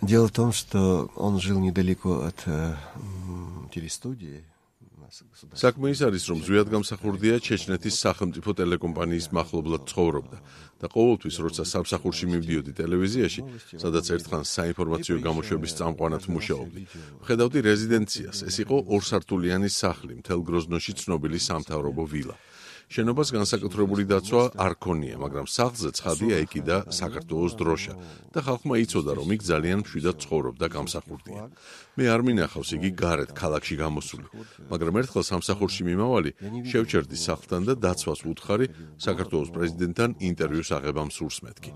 Дело в том, что он жил недалеко от телестудии. საქმე ის არის, რომ ზვიად გამსახურდია ჩეჩნეთის სახელმწიფო ტელეკომპანიის მახლობლად ცხოვრობდა და ყოველთვის, როცა სამსახურში მივდიოდი ტელევიზიაში, სადაც ერთხანს საინფორმაციო გამოშვების წამყვანად მუშაობდი, ვხედავდი რეზიდენციას. ეს იყო ორსართულიანი სახლი, მთელ გროზნოში ცნობილი სამთავრობო ვილა. შენობას განსაკუთრებული დაცვა არ ქონია, მაგრამ სახლზე ცხადია ეკიდა საქართველოს დროშა და ხალხმა იცოდა, რომ იქ ძალიან მშვიდად ცხოვრობდა გამსახურდია. მე არ მინახავს იგი გარეთ ქალაქში გამოსული, მაგრამ ერთხელ სამსახურში მიმავალი შევჩერდი სახლთან და დაცვას ვუთხარი საქართველოს პრეზიდენტთან ინტერვიუს აღებამ სურს მეთქი.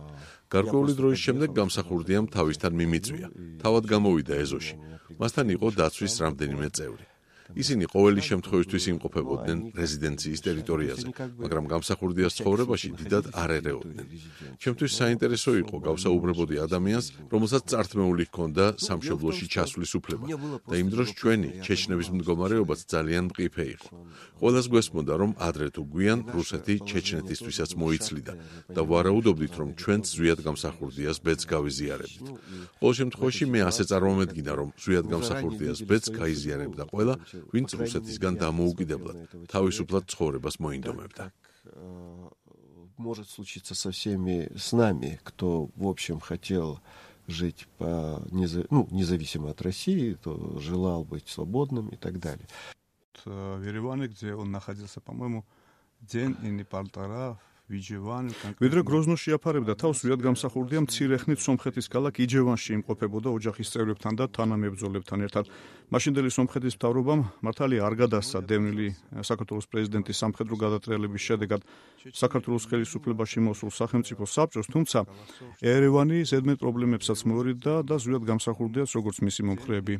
გარკვეული დროის შემდეგ გამსახურდიამ თავისთან მიმიწვია. თავად გამოვიდა ეზოში. მასთან იყო დაცვის რამდენიმე წევრი. ისინი ყოველი შემთხვევისთვის იმყოფებოდნენ რეზიდენციის ტერიტორიაზე, მაგრამ გამსახურდიას ცხოვრებაში დიდად არ ერეოდნენ. ჩემთვის საინტერესო იყო გავსაუბრებოდი ადამიანს, რომელსაც წართმეული ჰქონდა სამშობლოში ჩასვლის უფლება და იმ დროს ჩვენი ჩეჩნების მდგომარეობაც ძალიან მყიფე იყო. ყველას გვესმოდა, რომ ადრე თუ გვიან რუსეთი ჩეჩნეთისთვისაც მოიცლიდა და ვარაუდობდით, რომ ჩვენც ზვიად გამსახურდიას ბედს გავიზიარებდით. ყოველ შემთხვევაში მე ასე წარმომედგინა, რომ ზვიად გამსახურდიას ბედს გაიზიარებდა ყველა, ვინც რუსეთისგან დამოუკიდებლად თავისუფლად ცხოვრებას მოინდომებდა. Может случиться со всеми с нами, кто, в общем, хотел жить независимо от России, кто желал быть свободным и так далее. В Ереване, где он находился, по-моему, день или полтора, ვიდრე გროზნოში აფარებდა თავს, ზვიად გამსახურდია მცირე ხნით სომხეთის ქალაქ იჯევანში იმყოფებოდა ოჯახის წევრებთან და თანამებრძოლებთან ერთად. მაშინდელი სომხეთის მთავრობამ მართალია არ გადასცა დევნილი საქართველოს პრეზიდენტის სამხედრო გადატრიალების შედეგად საქართველოს ხელისუფლებაში მოსულ სახელმწიფო საბჭოს, თუმცა ერევანი ზედმეტ პრობლემებსაც მოერიდა და ზვიად გამსახურდიას, როგორც მისი მომხრეები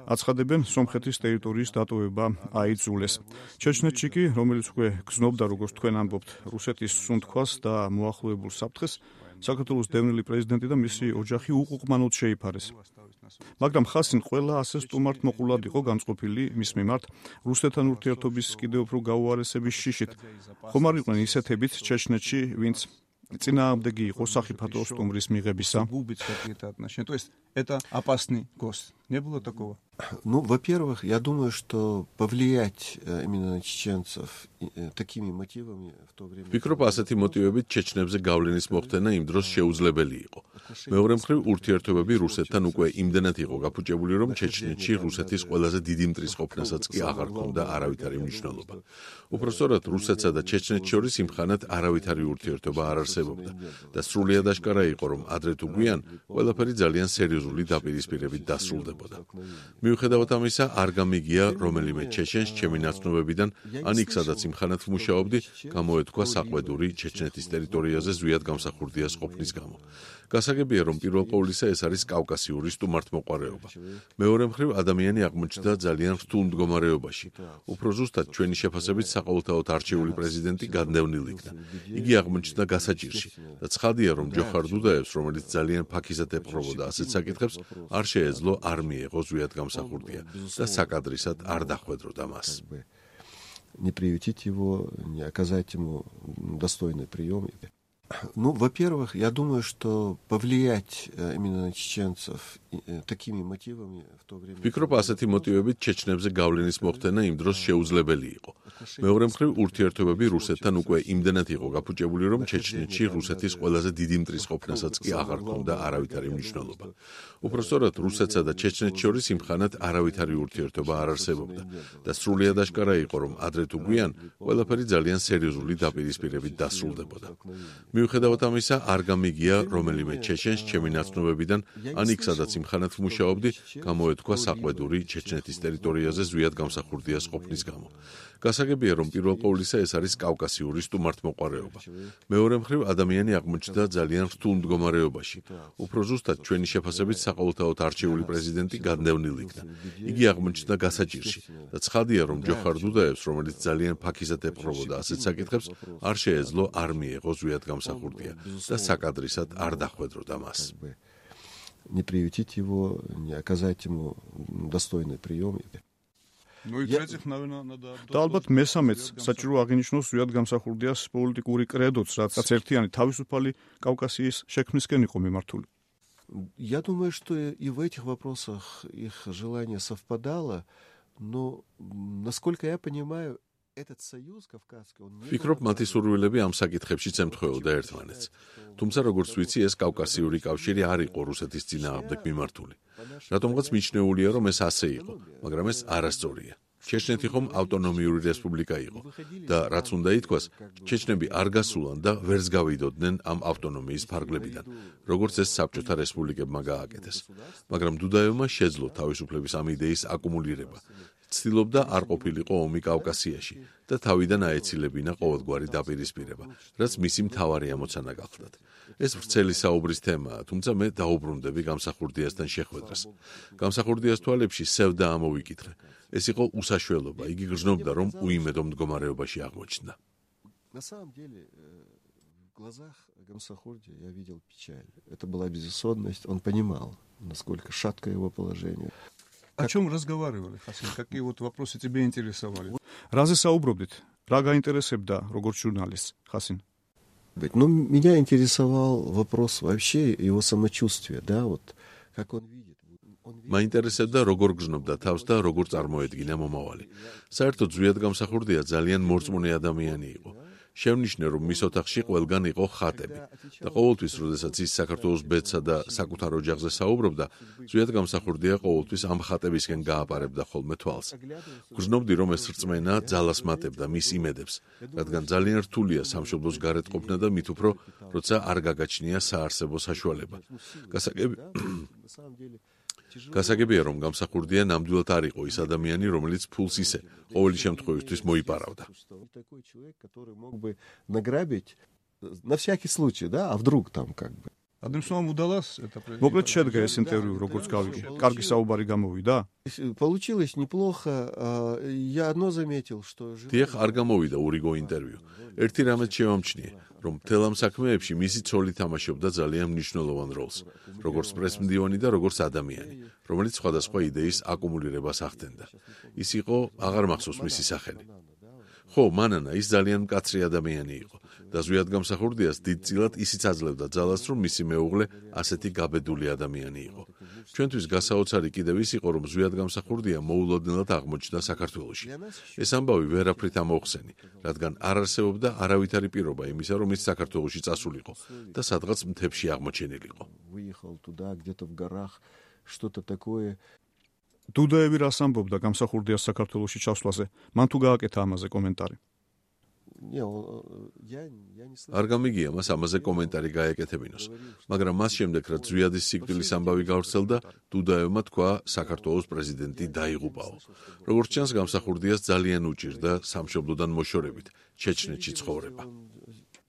აცხადებენ, სომხეთის ტერიტორიის დატოვება აიძულეს. ჩეჩნეთში კი, რომელიც უკვე გზნობდა, როგორც თქვენ ამბობთ, რუსეთის სუნთქვას და მოახლოებულ საფრთხეს, საქართველოს დევნილი პრეზიდენტი და მისი ოჯახი უყუყმანოდ შეიფარეს. მაგრამ ხასინ ყველა ასე სტუმართმოყულად იყო განწყობილი მის მიმართ რუსეთთან ურთიერთობის კიდევ უფრო გაუარესების შიშით. ხომ არ იყვნენ ისეთებიც ჩეჩნეთში, ვინც წინააღმდეგი იყო სახიფათო სტუმრის მიღებისა? То есть это опасный гость. Не было такого? Ну, во-первых, я думаю, что повлиять именно на чеченцев такими мотивами в то время... ვფიქრობ, ასეთი მოტივებით ჩეჩნებზე გავლენის მოხდენა იმ დროს შეუძლებელი იყო. მეორე მხრივ, ურთიერთობები რუსეთთან უკვე იმდენად იყო გაფუჭებული, რომ ჩეჩნეთში რუსეთის ყველაზე დიდი მტრის ყოფნასაც კი აღარ ჰქონდა არავითარი მნიშვნელობა. უпростоრად რუსეთსა და ჩეჩნეთს შორის იმხანად არავითარი ურთიერთობა არ არსებობდა და სრულიად აშკარა იყო, რომ ადრე თუ გვიან ყველაფერი ძალიან სერიოზული დაპირისპირებით დასრულდებოდა. მიუხედავად ამისა, არ გამიგია რომელიმე ჩეჩენს ჩემი ნაცნობებიდან, ან იქ სადაც იმხანად ვმუშაობდი, გამოეთქვა საყვედური ჩეჩნეთის ტერიტორიაზე ზვიად გამსახურდიას ყოფნის გამო. გასაგებია, რომ პირველ ყოვლისა ეს არის კავკასიური სტუმართმოყვარეობა. მეორე მხრივ, ადამიანი აღმოჩნდა ძალიან რთულ მდგომარეობაში. უფრო ზუსტად, ჩვენი შეფასებით საყოველთაოდ არჩეული პრეზიდენტი გადნევნილი იქნა. იგი აღმოჩნდა გასაჭირში და ცხადია, რომ ჯოხარ დუდაევს, რომელიც ძალიან ფაქიზად ეპყრობოდა ასეთ საკითხებს, არ შეეძლო არ მიეღო ზვიად გამსახურდია და საკადრისად არ დახვედროდა მას. Не приютить его, не оказать ему достойный прием. Ну, во-первых, я думаю, что повлиять именно на чеченцев такими мотивами в то время... ვფიქრობ, ასეთი მოტივებით ჩეჩნებზე გავლენის მოხდენა იმ დროს შეუძლებელი იყო. მეორე მხრივ, ურთიერთობები რუსეთთან უკვე იმდენად იყო გაფუჭებული, რომ ჩეჩნეთში რუსეთის ყველაზე დიდი მტრის ყოფნასაც კი აღარ ჰქონდა არავითარი მნიშვნელობა. უпростоრად, რუსეთსა და ჩეჩნეთს შორის იმხანად არავითარი ურთიერთობა არ არსებობდა და სრულიად აშკარა იყო, რომ ადრე თუ გვიან ყველაფერი ძალიან სერიოზული დაპირისპირებით დასრულდებოდა. მიუხედავად ამისა, არ გამიგია რომელიმე ჩეჩენს ჩემი ნაცნობებიდან, ან იქ სადაც იმხანად ვმუშაობდი, გამოეთქვა საყვედური ჩეჩნეთის ტერიტორიაზე ზვიად გამსახურდიას ყოფნის გამო. გასაგებია, რომ პირველ ყოვლისა ეს არის კავკასიური სტუმართმოყვარეობა. მეორე მხრივ, ადამიანი აღმოჩნდა ძალიან რთულ მდგომარეობაში. უფრო ზუსტად, ჩვენი შეფასებით საყოველთაოდ არჩეული პრეზიდენტი გადნევნილი იქნა. იგი აღმოჩნდა გასაჭირში და ცხადია, რომ ჯოხარ დუდაევს, რომელიც ძალიან ფაქიზად ეპყრობოდა ასეთ საკითხებს, არ შეეძლო არ მიეღო ზვიად გამსახურდია და საკადრისად არ დახვედროდა მას. Не приютить его, не оказать ему достойный прием. და ალბათ მესამეც საჭირო აღინიშნოს ზვიად გამსახურდიას პოლიტიკური კრედოც, რაც ერთიანი თავისუფალი კავკასიის შექმნისკენ იყო მიმართული. Я думаю, что и в этих вопросах их желание совпадало, но, насколько я понимаю, этот союз кавказский, он не... Ფიქრობ, მათი სურვილები ამ საკითხებში ემთხვეოდა ერთმანეთს. თუმცა, როგორც ვიცი, ეს კავკასიური კავშირი არ იყო რუსეთის წინააღმდეგ მიმართული. რატომღაც მიჩნეულია, რომ ეს ასე იყო, მაგრამ ეს არასწორია. ჩეჩნეთი ხომ ავტონომიური რესპუბლიკა იყო და რაც უნდა ითქვას, ჩეჩნები არ გასულან და ვერც გავიდოდნენ ამ ავტონომიის ფარგლებიდან, როგორც ეს საბჭოთა რესპუბლიკებმა გააკეთეს. მაგრამ დუდაევმა შეძლო თავისუფლების ამ იდეის აკუმულირება. ცდილობდა არ ყოფილიყო ომი კავკასიაში და თავიდან აეცილებინა ყოველგვარი დაპირისპირება, რაც მისი მთავარი ამოცანა გახლდათ. ეს ვრცელი საუბრის თემაა, თუმცა მე დაუბრუნდები გამსახურდიასთან შეხვედრას. გამსახურდიას თვალებში სევდა ამოვიკითხე. ეს იყო უსაშველობა, იგი გრძნობდა, რომ უიმედო მდგომარეობაში აღმოჩნდა. На самом деле, в глазах Гамсахурдия я видел печаль. Это была безысходность, он понимал, насколько шаткое его положение. О чем разговаривали, Хасин? Какие вот вопросы тебя интересовали? Разве საუბრობდით? Რა გაინტერესებდა როგორც ჟურნალისტს, Хасин? Ну, меня интересовал вопрос вообще его самочувствия, да, вот как он видит. მაინტერესებდა როგორ გრძნობდა თავს და როგორ წარმოედგინა მომავალი. საერთოდ ზვიად გამსახურდია ძალიან მორწმუნე ადამიანი იყო. შევნიშნე, რომ მის ოთახში ყველგან იყო ხატები და ყოველთვის, როდესაც ის საქართველოს ბედსა და საკუთარ ოჯახზე საუბრობდა, ზვიად გამსახურდია ყოველთვის ამ ხატებისკენ გააპარებდა ხოლმე თვალს. გრძნობდი, რომ ეს რწმენა ძალას მატებდა მის იმედებს, რადგან ძალიან რთულია სამშობლოს გარეთ ყოფნა და მით უფრო, როცა არ გაგაჩნია საარსებო საშუალება. გასაგებია, რომ გამსახურდია ნამდვილად არ იყო ის ადამიანი, რომელიც ფულს ისე ყოველი შემთხვევისთვის მოიპარავდა. Такой человек, который мог бы награбить на всякий случай, да, а вдруг там как бы. Одним словом, удалось это произвести. Მოკლედ შედგა ეს ინტერვიუ, როგორც გავიგე. კარგი საუბარი გამოვიდა? Получилось неплохо. Я одно заметил, что დიახ, არ გამოვიდა ურიგო ინტერვიუ. ერთი რამეც შევამჩნიე, რომ მთელ ამ საქმეებში მისი ცოლი თამაშობდა ძალიან მნიშვნელოვან როლს, როგორც პრესმდივანი და როგორც ადამიანი, რომელიც სხვადასხვა იდეის აკუმულირებას ახდენდა. ის იყო, აღარ მახსოვს მისი სახელი. ხო, მანანა, ის ძალიან მკაცრი ადამიანი იყო და ზვიად გამსახურდიას დიდწილად ისიც აძლევდა ძალას, რომ მისი მეუღლე ასეთი გაბედული ადამიანი იყო. ჩვენთვის გასაოცარი კიდევ ის იყო, რომ ზვიად გამსახურდია მოულოდნელად აღმოჩნდა საქართველოში. ეს ამბავი ვერაფრით ამოხსენი, რადგან არ არსებობდა არავითარი პირობა იმისა, რომ ის საქართველოში წასულიყო და სადღაც მთებში აღმოჩენილიყო. выехал туда, где-то в горах, что-то такое. დუდაევი რას ამბობდა გამსახურდიას საქართველოში ჩასვლაზე? მან თუ გააკეთა ამაზე კომენტარი? არ გამიგია მას ამაზე კომენტარი გაეკეთებინოს, მაგრამ მას შემდეგ, რაც ზვიადის სიკვდილის ამბავი გავრცელდა, დუდაევმა თქვა, საქართველოს პრეზიდენტი დაიღუპაო. როგორც ჩანს, გამსახურდიას ძალიან უჭირდა სამშობლოდან მოშორებით, ჩეჩნეთში ცხოვრება.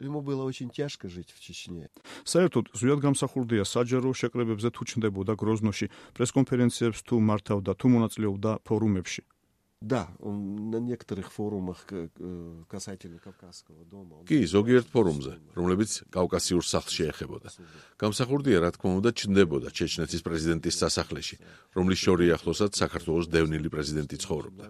Ему было очень тяжко жить в Чечне. საერთოდ ზვიად გამსახურდია საჯარო შეკრებებზე თუ ჩნდებოდა გროზნოში, პრესკონფერენციებს თუ მართავდა, თუ მონაწილეობდა ფორუმებში. Да, он на некоторых форумах касательно Кавказского дома. კი, ზოგიერთ ფორუმზე, რომლებიც კავკასიურ სახლს შეეხებოდა. გამსახურდია, რა თქმა უნდა, ჩნდებოდა ჩეჩნეთის პრეზიდენტის სასახლეში, რომლის შორი ახლოსაც საქართველოს დევნილი პრეზიდენტი ცხოვრობდა.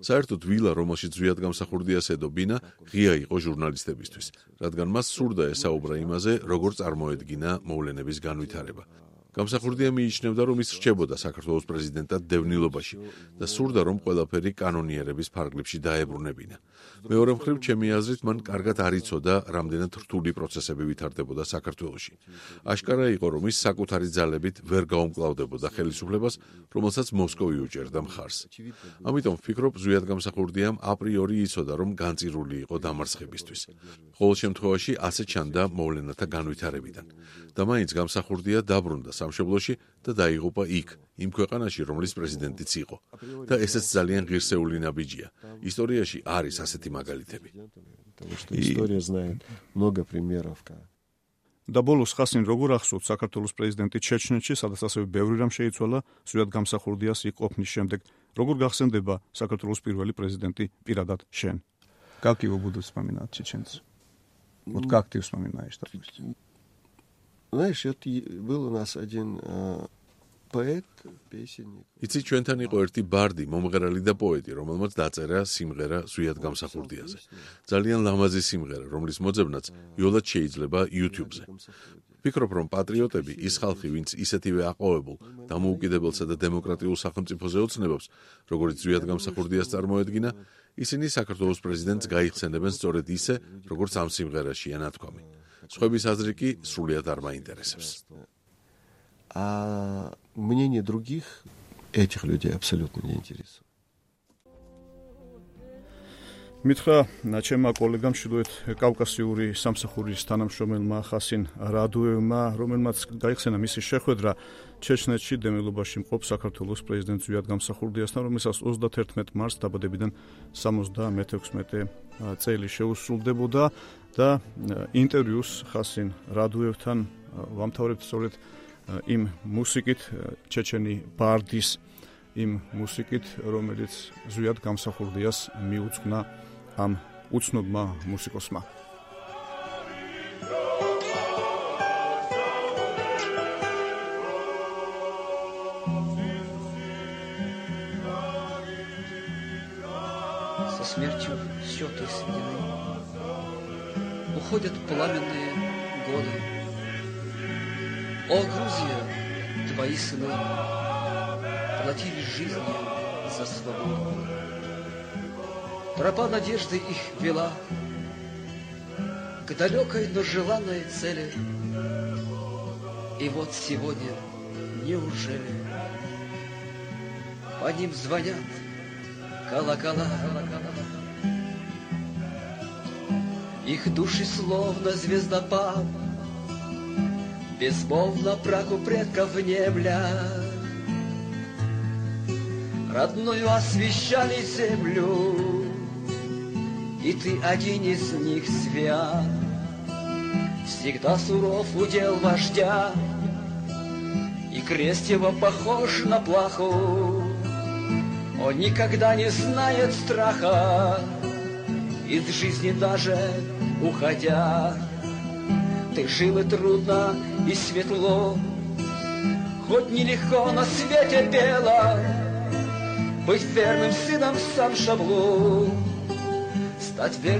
საერთოდ ვილა, რომელშიც ზვიად გამსახურდიას ედობინა, ღია იყო ჟურნალისტებისთვის, რადგან მას სურდა ესაუბრა იმაზე, როგორ წარმოედგინა მოვლენების განვითარება. გამსახურდია მიიჩნევდა, რომ ის რჩებოდა საქართველოს პრეზიდენტად დევნილობაში და სურდა, რომ ყველაფერი კანონიერების ფარგლებში დაებრუნებინა. მეორე მხრივ, ჩემი აზრით, მან კარგად არ იცოდა, რამდენად რთული პროცესები ვითარდებოდა საქართველოში. აშკარა იყო, რომ ის საკუთარი ძალებით ვერ გაუმკლავდებოდა ხელისუფლებას, რომელსაც მოსკოვი უჭერდა მხარს. ამიტომ ვფიქრობ, ზვიად გამსახურდიამ აპრიორი იცოდა, რომ განწირული იყო დამარცხებისთვის. ყოველ შემთხვევაში, ასე ჩანდა მოვლენათა განვითარებიდან. და მაინც გამსახურდია დაბრუნდა სამშობლოში და დაიღუპა იქ, იმ ქვეყანაში, რომლის პრეზიდენტიც იყო. და ესეც ძალიან ღირსეული ნაბიჯია. ისტორიაში არის ასეთი მაგალითები. История знает много примеров. და ბოლოს ხასინ როგორ ახსოვთ საქართველოს პრეზიდენტი ჩეჩნეთში, სადაც ასევე ბევრი რამ შეიცვალა ზვიად გამსახურდიას იქ ყოფნის შემდეგ, როგორ გახსენდება საქართველოს პირველი პრეზიდენტი პირადად შენ? Как его будут вспоминать чеченцы? Вот как ты вспоминаешь, допустим? Знаешь, вот был у нас один поэт, песенник. იცი, ჩვენთან იყო ერთი ბარდი, მომღერალი და პოეტი, რომელმაც დაწერა სიმღერა ზვიად გამსახურდიაზე. ძალიან ლამაზი სიმღერა, რომლის მოძებნაც იოლად შეიძლება YouTube-ზე. ვფიქრობ, რომ პატრიოტები, ის ხალხი, ვინც ისეთივე აყვავებულ, დამოუკიდებელსა და დემოკრატიულ სახელმწიფოზე ოცნებობს, როგორც ზვიად გამსახურდიას წარმოედგინა, ისინი საქართველოს პრეზიდენტს გაიხსენებენ სწორედ ისე, როგორც ამ სიმღერაშია ნათქვამი. სხვების აზრი კი სრულიად არ მაინტერესებს. А мнение других этих людей абсолютно не интересует. მითხრა ჩემმა კოლეგამ ჩრდილოეთ კავკასიური სამსახურის თანამშრომელმა ხასინ რადუევმა, რომელმაც გაიხსენა მისი შეხვედრა ჩეჩნეთში დემილობაში მყოფ საქართველოს პრეზიდენტ ზვიად გამსახურდიასთან, რომელსაც 31 მარტს დაბადებიდან 76 წელი შეუსრულდებოდა და ინტერვიუს ხასინ რადუევთან ვამთავრებთ სწორედ იმ მუსიკით, ჩეჩენი ბარდის იმ მუსიკით, რომელიც ზვიად გამსახურდიას მიუძღვნა ამ უცნობმა მუსიკოსმა. Со смертью счеты сведены, уходят пламенные годы. О, Грузия, твои сыны платили жизнью за свободу. Тропа надежды их вела к далекой, но желанной цели. И вот сегодня, неужели, по ним звонят колокола. Их души словно звездопад безмолвно праху предков внемлят. Родную освещали землю, и ты один из них свят. Всегда суров удел вождя, и крест его похож на плаху. Он никогда не знает страха, из жизни даже уходя. Ты жил и трудно, и светло, хоть нелегко на свете бело, быть верным сыном сам Шаблу, стать верным